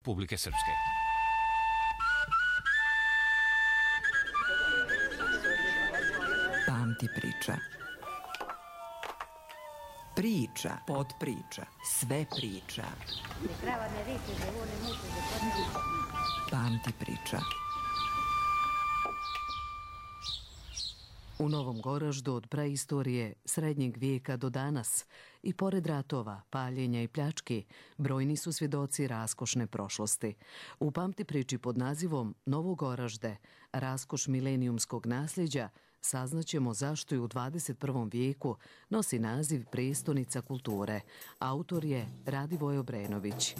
Republike Srpske. Pamti priča. Priča, podpriča, sve priča. Pamti priča. U Novom Goraždu od praistorije, srednjeg vijeka do danas i pored ratova, paljenja i pljački, brojni su svjedoci raskošne prošlosti. U pamti priči pod nazivom Novo Goražde, raskoš milenijumskog nasljeđa, saznaćemo zašto je u 21. vijeku nosi naziv prestonica kulture. Autor je Radivoj Obrenović.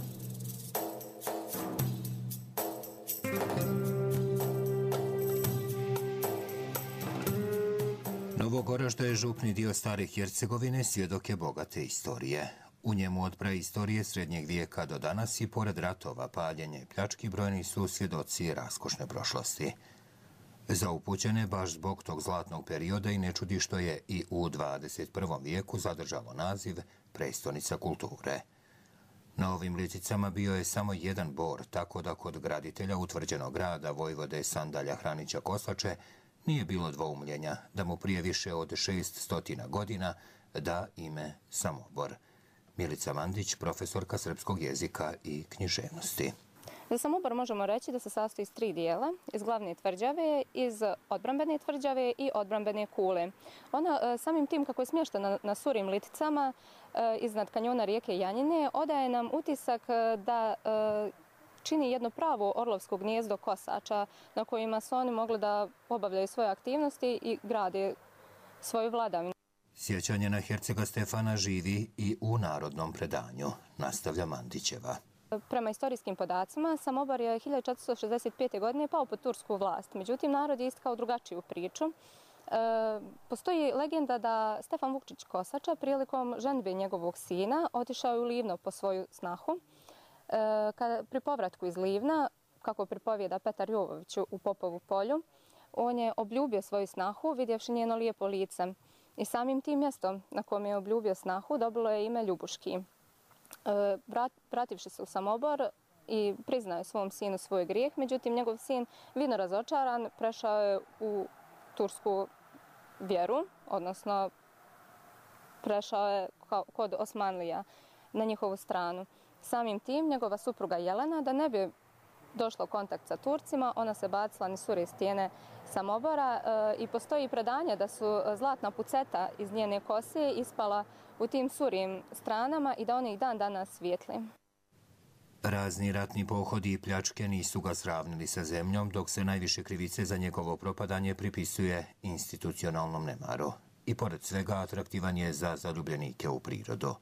Novo Goražde je župni dio stare Hercegovine, svjedok je bogate istorije. U njemu od praistorije srednjeg vijeka do danas i pored ratova, paljenja i pljački brojni su svjedoci raskošne prošlosti. Za upućene baš zbog tog zlatnog perioda i ne čudi što je i u 21. vijeku zadržalo naziv prestonica kulture. Na ovim liticama bio je samo jedan bor, tako da kod graditelja utvrđenog grada Vojvode Sandalja Hranića Kosače nije bilo dvoumljenja da mu prije više od 600 godina da ime Samobor. Milica Mandić, profesorka srpskog jezika i književnosti. Za Samobor možemo reći da se sastoji iz 3 dijela, iz glavne tvrđave, iz odbrambene tvrđave i odbrambene kule. Ona samim tim kako je smještena na surim liticama iznad kanjona rijeke Janjine, odaje nam utisak da čini jedno pravo orlovsko gnijezdo kosača na kojima su oni mogli da obavljaju svoje aktivnosti i grade svoju vladavinu. Sjećanje na hercega Stefana živi i u narodnom predanju, nastavlja Mandićeva. Prema istorijskim podacima, Samobor je 1465. godine pao pod tursku vlast. Međutim, narod je istkao drugačiju priču. Postoji legenda da Stefan Vukčić Kosača prilikom ženidbe njegovog sina otišao je u Livno po svoju snahu. Pri povratku iz Livna, kako pripovijeda Petar Jovović u Popovu polju, on je obljubio svoju snahu vidjevši njeno lijepo lice. I samim tim mjestom na kojem je obljubio snahu dobilo je ime Ljubuški. Vrativši se u Samobor i priznao je svom sinu svoj grijeh, međutim njegov sin, vidno razočaran, prešao je u tursku vjeru, odnosno prešao je kod Osmanlija na njihovu stranu. Samim tim njegova supruga Jelena, da ne bi došla u kontakt sa Turcima, ona se bacila niz sure stijene Samobora i postoji predanje da su zlatna puceta iz njene kose ispala u tim surim stranama i da oni ih dan danas svijetli. Razni ratni pohodi i pljačke nisu ga sravnili sa zemljom, dok se najviše krivice za njegovo propadanje pripisuje institucionalnom nemaru. I pored svega atraktivan je za zaljubljenike u prirodu.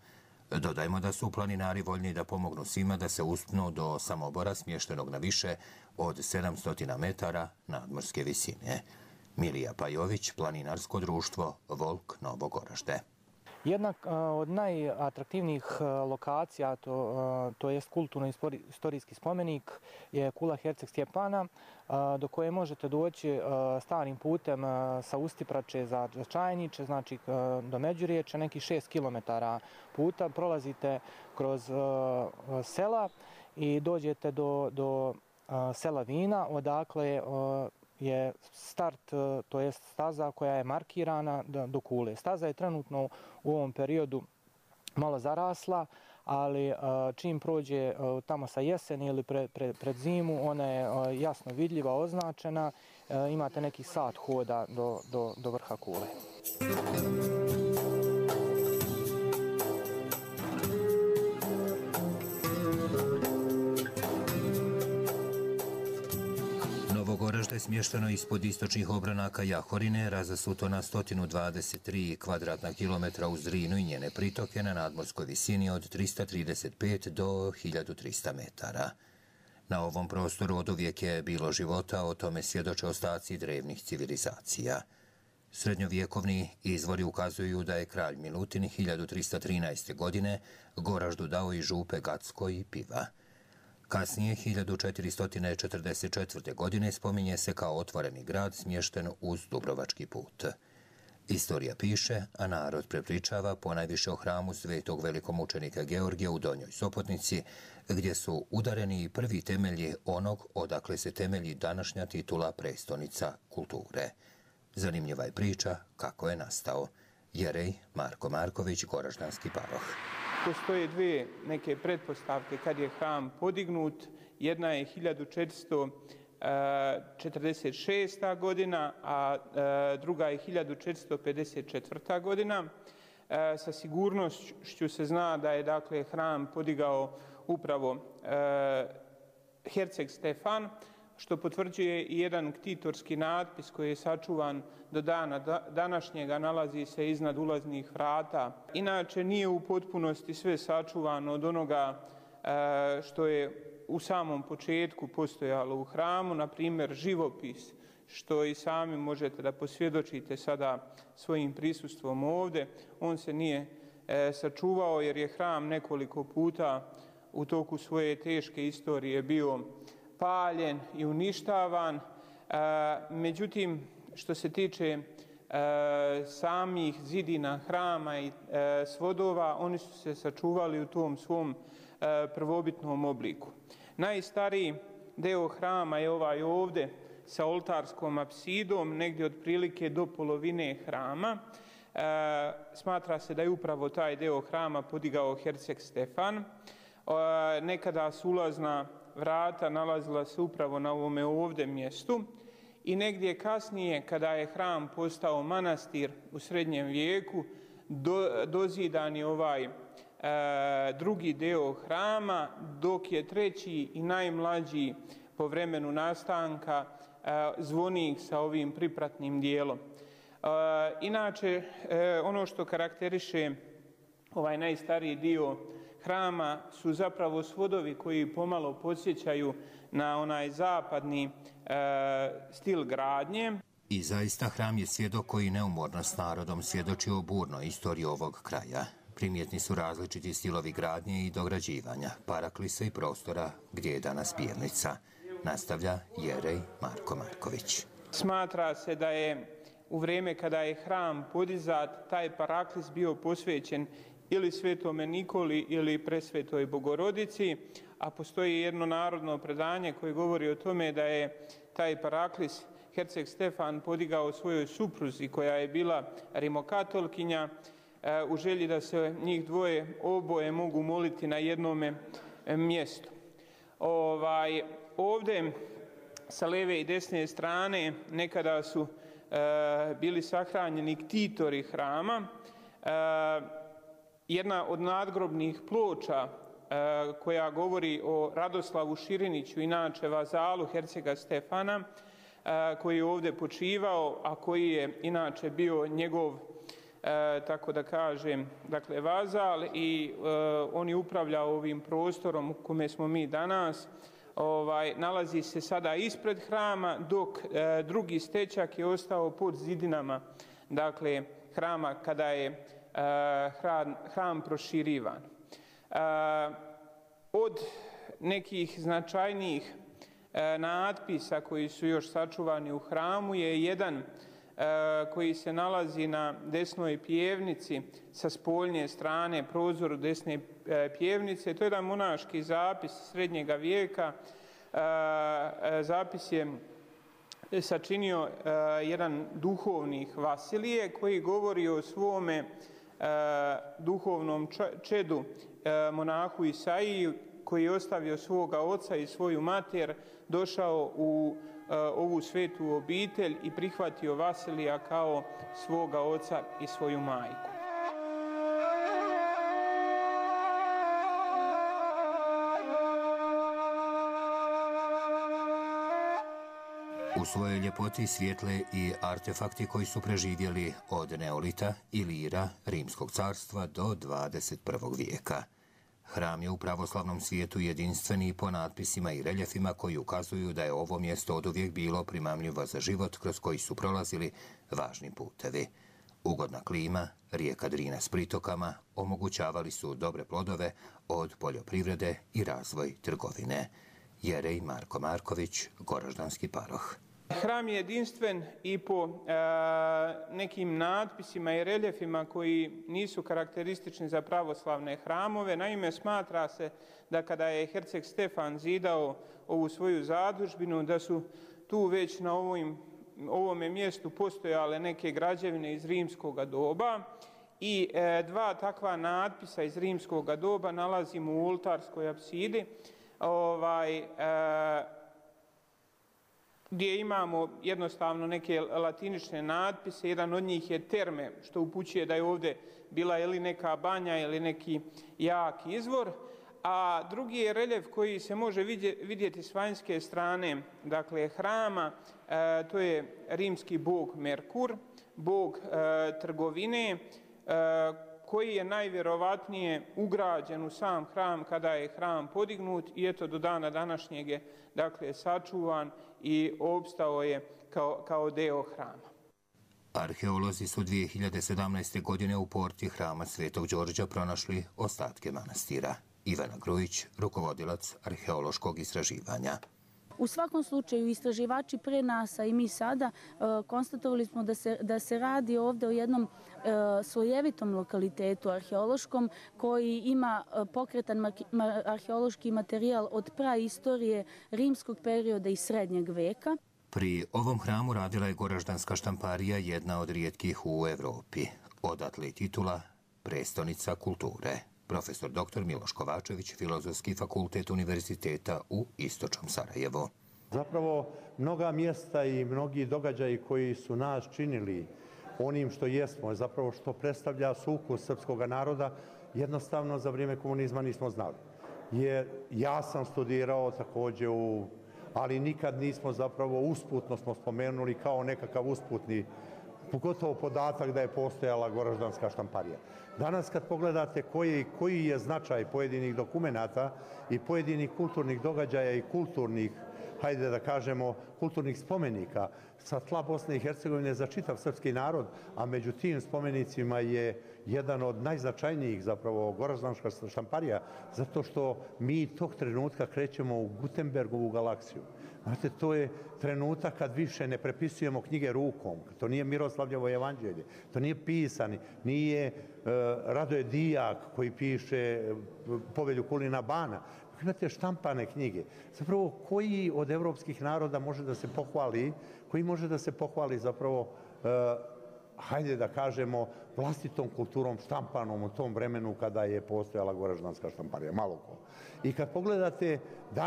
Dodajmo da su planinari voljni da pomognu svima da se uspnu do Samobora smještenog na više od 700 metara nadmorske visine. Milija Pajović, planinarsko društvo Volk Novo Goražde. Jedna od najatraktivnijih lokacija, to je kulturno-istorijski spomenik, je kula Herceg Stjepana, do koje možete doći starim putem sa Ustiprače za Čajniče, znači do Međuriječe, nekih 6 km puta. Prolazite kroz sela i dođete do sela Vina, odakle je start, to je staza koja je markirana do kule. Staza je trenutno u ovom periodu malo zarasla, ali čim prođe tamo sa jeseni ili pred zimu, ona je jasno vidljiva, označena. Imate neki sat hoda do vrha kule. Novo Goražde je smješteno ispod istočnih obranaka Jahorine, razasuto na 123 kvadratna kilometra uz Drinu i njene pritoke na nadmorskoj visini od 335 do 1300 metara. Na ovom prostoru oduvijek je bilo života, o tome svjedoče ostaci drevnih civilizacija. Srednjovjekovni izvori ukazuju da je kralj Milutin 1313. godine Goraždu dao i župe Gacko i Piva. Kasnije, 1444. godine, spominje se kao otvoreni grad smješten uz Dubrovački put. Istorija piše, a narod prepričava ponajviše o hramu svetog velikomučenika Georgija u Donjoj Sopotnici, gdje su udareni prvi temelji onog odakle se temelji današnja titula prestonica kulture. Zanimljiva je priča kako je nastao. Jerej Marko Marković, Goraždanski paroh. Postoje dvije neke pretpostavke kad je hram podignut. Jedna je 1446. godina, a druga je 1454. godina. Sa sigurnošću se zna da je dakle hram podigao upravo herceg Stefan, što potvrđuje i jedan ktitorski natpis koji je sačuvan do dana današnjega, nalazi se iznad ulaznih vrata. Inače, nije u potpunosti sve sačuvano od onoga što je u samom početku postojalo u hramu, na primjer živopis, što i sami možete da posvjedočite sada svojim prisustvom ovdje. On se nije sačuvao jer je hram nekoliko puta u toku svoje teške istorije bio paljen i uništavan. Međutim, što se tiče samih zidina hrama i svodova, oni su se sačuvali u tom svom prvobitnom obliku. Najstariji deo hrama je ovaj ovdje sa oltarskom apsidom, negdje otprilike do polovine hrama. Smatra se da je upravo taj deo hrama podigao herceg Stefan. Nekada su ulazna vrata nalazila se upravo na ovome ovdje mjestu i negdje kasnije, kada je hram postao manastir u srednjem vijeku, dozidan je ovaj drugi deo hrama, dok je treći i najmlađi po vremenu nastanka zvonik sa ovim pripratnim dijelom. Inače, ono što karakteriše ovaj najstariji dio hrama su zapravo svodovi koji pomalo podsjećaju na onaj zapadni stil gradnje. I zaista hram je svjedok koji neumorno s narodom svjedoči o burnoj istoriji ovog kraja. Primjetni su različiti stilovi gradnje i dograđivanja, paraklisa i prostora gdje je danas pivnica. Nastavlja Jerej Marko Marković. Smatra se da je u vrijeme kada je hram podizat, taj paraklis bio posvećen ili Svetome Nikoli ili Presvetoj Bogorodici, a postoji jedno narodno predanje koje govori o tome da je taj paraklis herceg Stefan podigao svojoj supruzi koja je bila rimokatolkinja u želji da se njih dvoje oboje mogu moliti na jednome mjestu. Ovdje sa lijeve i desne strane nekada su bili sahranjeni ktitori hrama. Jedna od nadgrobnih ploča koja govori o Radoslavu Širiniću, inače vazalu hercega Stefana, koji je ovdje počivao, a koji je inače bio njegov, tako da kažem, dakle vazal i on je upravljao ovim prostorom u kome smo mi danas. Nalazi se sada ispred hrama, dok drugi stečak je ostao pod zidinama, dakle hrama kada je hram proširivan. Od nekih značajnijih natpisa koji su još sačuvani u hramu je jedan koji se nalazi na desnoj pjevnici sa spoljnje strane, prozoru desne pjevnice. To je jedan monaški zapis srednjega vijeka. Zapis je sačinio jedan duhovnik Vasilije koji govori o svome duhovnom čedu monahu Isaiji, koji je ostavio svoga oca i svoju mater, došao u ovu svetu obitelj i prihvatio Vasilija kao svoga oca i svoju majku. U svojoj ljepoti svijetle i artefakti koji su preživjeli od neolita, Ilira, Rimskog carstva do 21. vijeka. Hram je u pravoslavnom svijetu jedinstveni po natpisima i reljefima koji ukazuju da je ovo mjesto oduvijek bilo primamljivo za život kroz koji su prolazili važni putevi. Ugodna klima, rijeka Drina s pritokama omogućavali su dobre plodove od poljoprivrede i razvoj trgovine. Jerej Marko Marković, Goraždanski paroh. Hram je jedinstven i po nekim natpisima i reljefima koji nisu karakteristični za pravoslavne hramove. Naime, smatra se da kada je herceg Stefan zidao ovu svoju zadužbinu, da su tu već na ovome mjestu postojale neke građevine iz rimskog doba i dva takva natpisa iz rimskog doba nalazimo u oltarskoj apsidi, gdje imamo jednostavno neke latinične natpise. Jedan od njih je terme, što upućuje da je ovdje bila ili neka banja ili neki jak izvor, a drugi je reljef koji se može vidjeti s vanjske strane, dakle, hrama. To je rimski bog Merkur, bog trgovine, koji je najvjerovatnije ugrađen u sam hram kada je hram podignut i eto do dana današnjeg je, dakle, sačuvan i opstao je kao deo hrama. Arheolozi su 2017. godine u porti hrama Svetog Đorđa pronašli ostatke manastira. Ivana Grujić, rukovodilac arheološkog istraživanja. U svakom slučaju, istraživači pre nas, a i mi sada, konstatovali smo da se radi ovdje o jednom slojevitom lokalitetu arheološkom koji ima pokretan arheološki materijal od praistorije, rimskog perioda i srednjeg veka. Pri ovom hramu radila je Goraždanska štamparija, jedna od rijetkih u Evropi. Odatle je titula prestonica kulture. Profesor dr. Miloš Kovačević, Filozofski fakultet Univerziteta u Istočnom Sarajevu. Zapravo, mnoga mjesta i mnogi događaji koji su nas činili onim što jesmo, zapravo što predstavlja sukus srpskog naroda, jednostavno za vrijeme komunizma nismo znali. Jer ja sam studirao također ali nikad nismo zapravo usputno smo spomenuli kao nekakav usputni, pogotovo podatak da je postojala Goraždanska štamparija. Danas kad pogledate koji je značaj pojedinih dokumenata i pojedinih kulturnih događaja i kulturnih, hajde da kažemo, kulturnih spomenika sa tla Bosne i Hercegovine za čitav srpski narod, a među tim spomenicima je jedan od najznačajnijih zapravo Goraždanska štamparija, zato što mi tog trenutka krećemo u Gutenbergovu galaksiju. Znate, to je trenutak kad više ne prepisujemo knjige rukom. To nije Miroslavljevo evanđelje, to nije pisani, nije Radoje Dijak koji piše Povelju Kulina Bana. Imate štampane knjige. Zapravo, koji od evropskih naroda može da se pohvali, koji može da se pohvali zapravo, hajde da kažemo, vlastitom kulturom štampanom u tom vremenu kada je postojala Goraždanska štamparija, malo ko. I kad pogledate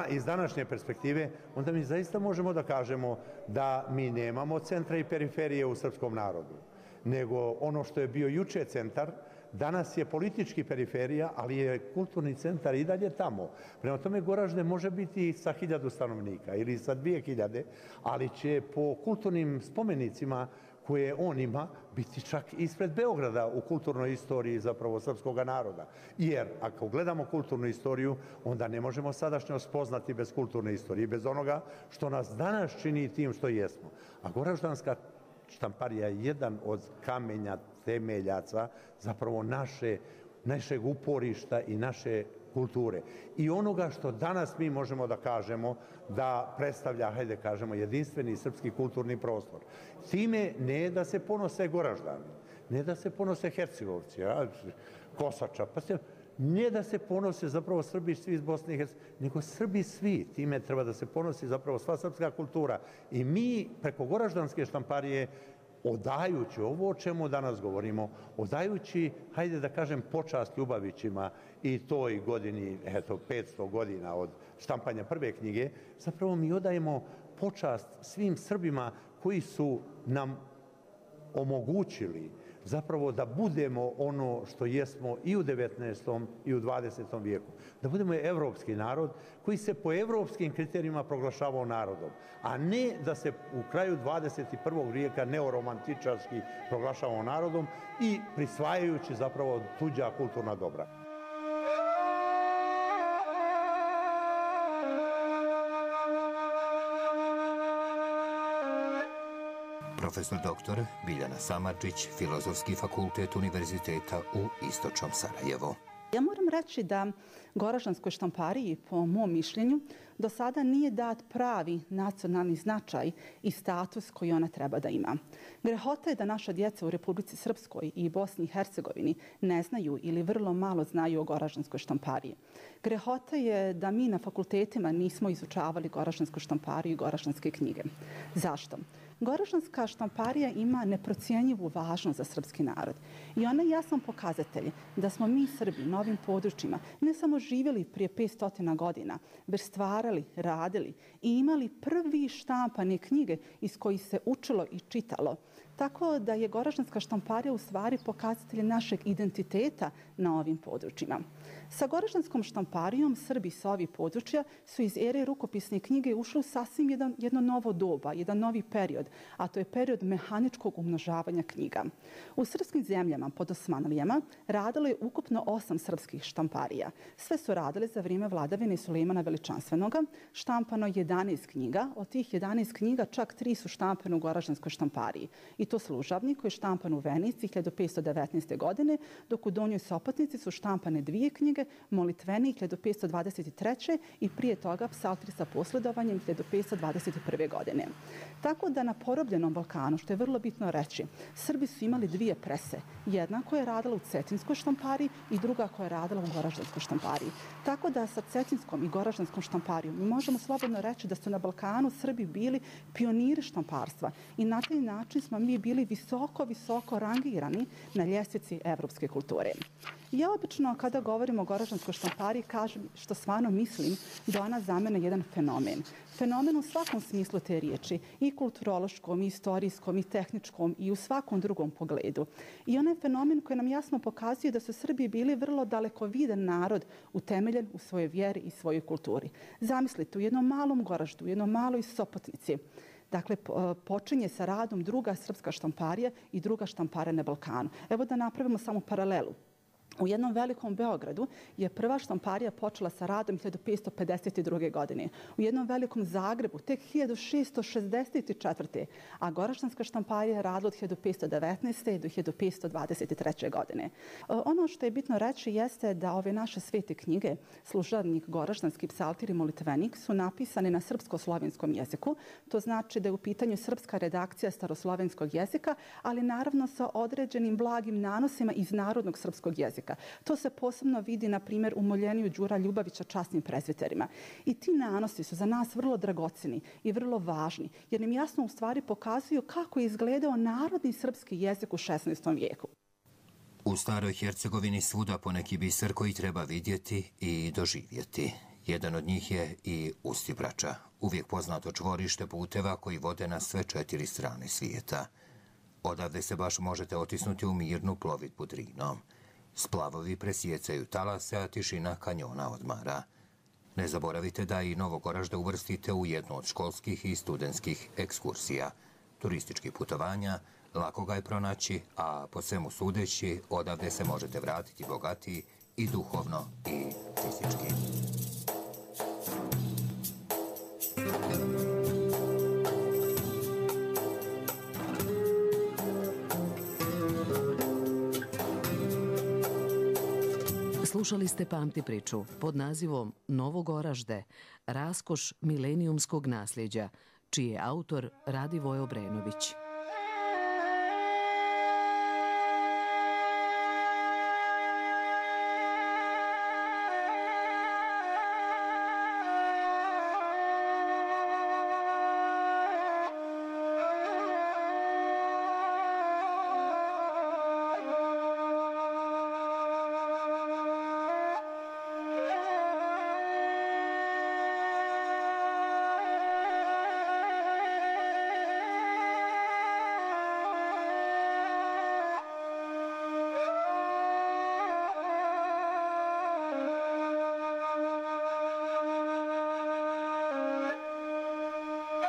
iz današnje perspektive, onda mi zaista možemo da kažemo da mi nemamo centra i periferije u srpskom narodu, nego ono što je bio juče centar, danas je politički periferija, ali je kulturni centar i dalje tamo. Prema tome, Goražde može biti sa 1000 stanovnika ili sa 2000, ali će po kulturnim spomenicima koje on ima biti čak ispred Beograda u kulturnoj istoriji zapravo srpskog naroda. Jer ako gledamo kulturnu istoriju, onda ne možemo sadašnjost spoznati bez kulturne istorije, bez onoga što nas danas čini tim što jesmo. A Goraždanska štamparija je jedan od kamenja temeljaca zapravo našeg uporišta i naše kulture. I onoga što danas mi možemo da kažemo da predstavlja, hajde kažemo, jedinstveni srpski kulturni prostor. Time ne da se ponose Goraždani, ne da se ponose Hercegovci, Kosača, ne da se ponose zapravo Srbi svi iz Bosne i Hercegovine, nego Srbi svi. Time treba da se ponosi zapravo sva srpska kultura. I mi preko Goraždanske štamparije, odajući ovo o čemu danas govorimo, odajući, hajde da kažem, počast Ljubavićima i toj godini, 500 godina od štampanja prve knjige, zapravo mi odajemo počast svim Srbima koji su nam omogućili zapravo da budemo ono što jesmo i u 19. i u 20. vijeku. Da budemo evropski narod koji se po evropskim kriterijima proglašavao narodom, a ne da se u kraju 21. vijeka neoromantičarski proglašavao narodom i prisvajajući zapravo tuđa kulturna dobra. Profesor dr. Biljana Samardžić, Filozofski fakultet Univerziteta u Istočnom Sarajevu. Ja moram reći da Goraždanskoj štampariji, po mom mišljenju, do sada nije dat pravi nacionalni značaj i status koji ona treba da ima. Grehota je da naša djeca u Republici Srpskoj i Bosni i Hercegovini ne znaju ili vrlo malo znaju o Goraždanskoj štampariji. Grehota je da mi na fakultetima nismo izučavali Goraždansku štampariju i goraždanske knjige. Zašto? Goraždanska štamparija ima neprocijenjivu važnost za srpski narod i ona je jasan pokazatelj da smo mi Srbi na ovim područjima ne samo živjeli prije 500 godina, već stvarali, radili i imali prvi štampane knjige iz kojih se učilo i čitalo. Tako da je Goraždanska štamparija u stvari pokazatelj našeg identiteta na ovim područjima. Sa Goraždanskom štamparijom Srbi sa ovih područja su iz ere rukopisne knjige ušli u sasvim jedno novo doba, jedan novi period, a to je period mehaničkog umnožavanja knjiga. U srpskim zemljama pod Osmanlijama radilo je ukupno 8 srpskih štamparija. Sve su radile za vrijeme vladavine Sulejmana Veličanstvenoga. Štampano 11 knjiga, od tih 11 knjiga čak 3 su štampane u Goraždanskoj štampariji. I to Služavnik koji je štampan u Venici 1519. godine, dok u Donjoj Sopotnici su štampane 2 knjige, Molitvenik 1523. i prije toga Psaltri sa posledovanjem 1521. godine. Tako da na porobljenom Balkanu, što je vrlo bitno reći, Srbi su imali 2 prese. Jedna koja je radila u Cetinskoj štampariji i druga koja je radila u Goraždanskoj štampariji. Tako da sa Cetinskom i Goraždanskom štamparijom mi možemo slobodno reći da su na Balkanu Srbi bili pioniri štamparstva i na taj način smo mi bili visoko rangirani na ljestvici evropske kulture. Ja obično kada govorim o Goraždanskoj štampariji kažem što stvarno mislim da ona za mene jedan fenomen. Fenomen u svakom smislu te riječi, i kulturološkom, i istorijskom, i tehničkom, i u svakom drugom pogledu. I onaj fenomen koji nam jasno pokazuje da su Srbi bili vrlo dalekovidan narod utemeljen u svojoj vjeri i svojoj kulturi. Zamislite, u jednom malom Goraždu, u jednom maloj Sopotnici, dakle, počinje sa radom druga srpska štamparija i druga štamparija na Balkanu. Evo da napravimo samo paralelu. U jednom velikom Beogradu je prva štamparija počela sa radom 1552. godine. U jednom velikom Zagrebu tek 1664. A Goraždanska štamparija je radila od 1519. do 1523. godine. Ono što je bitno reći jeste da ove naše svete knjige, Služavnik, Goraždanski, Psaltir i Molitvenik, su napisane na srpsko-slovenskom jeziku. To znači da je u pitanju srpska redakcija staroslovenskog jezika, ali naravno sa određenim blagim nanosima iz narodnog srpskog jezika. To se posebno vidi, na primjer, u moljenju Đura Ljubavića časnim prezbiterima. I ti nanosi su za nas vrlo dragocjeni i vrlo važni, jer nam jasno u stvari pokazuju kako je izgledao narodni srpski jezik u 16. vijeku. U Staroj Hercegovini svuda poneki biser koji treba vidjeti i doživjeti. Jedan od njih je i Ustibrača, uvijek poznato čvorište puteva koji vode na sve 4 strane svijeta. Odavde se baš možete otisnuti u mirnu plovidbu Drinom. Splavovi presjecaju talase, a tišina kanjona odmara. Ne zaboravite da i Novogoražde uvrstite u jednu od školskih i studentskih ekskursija. Turističkih putovanja, lako ga je pronaći, a po svemu sudeći, odavde se možete vratiti bogatiji i duhovno i fizički. Slušali ste Pamti priču pod nazivom Novogoražde, raskoš milenijumskog nasljeđa, čiji je autor Radivoje Obrenović.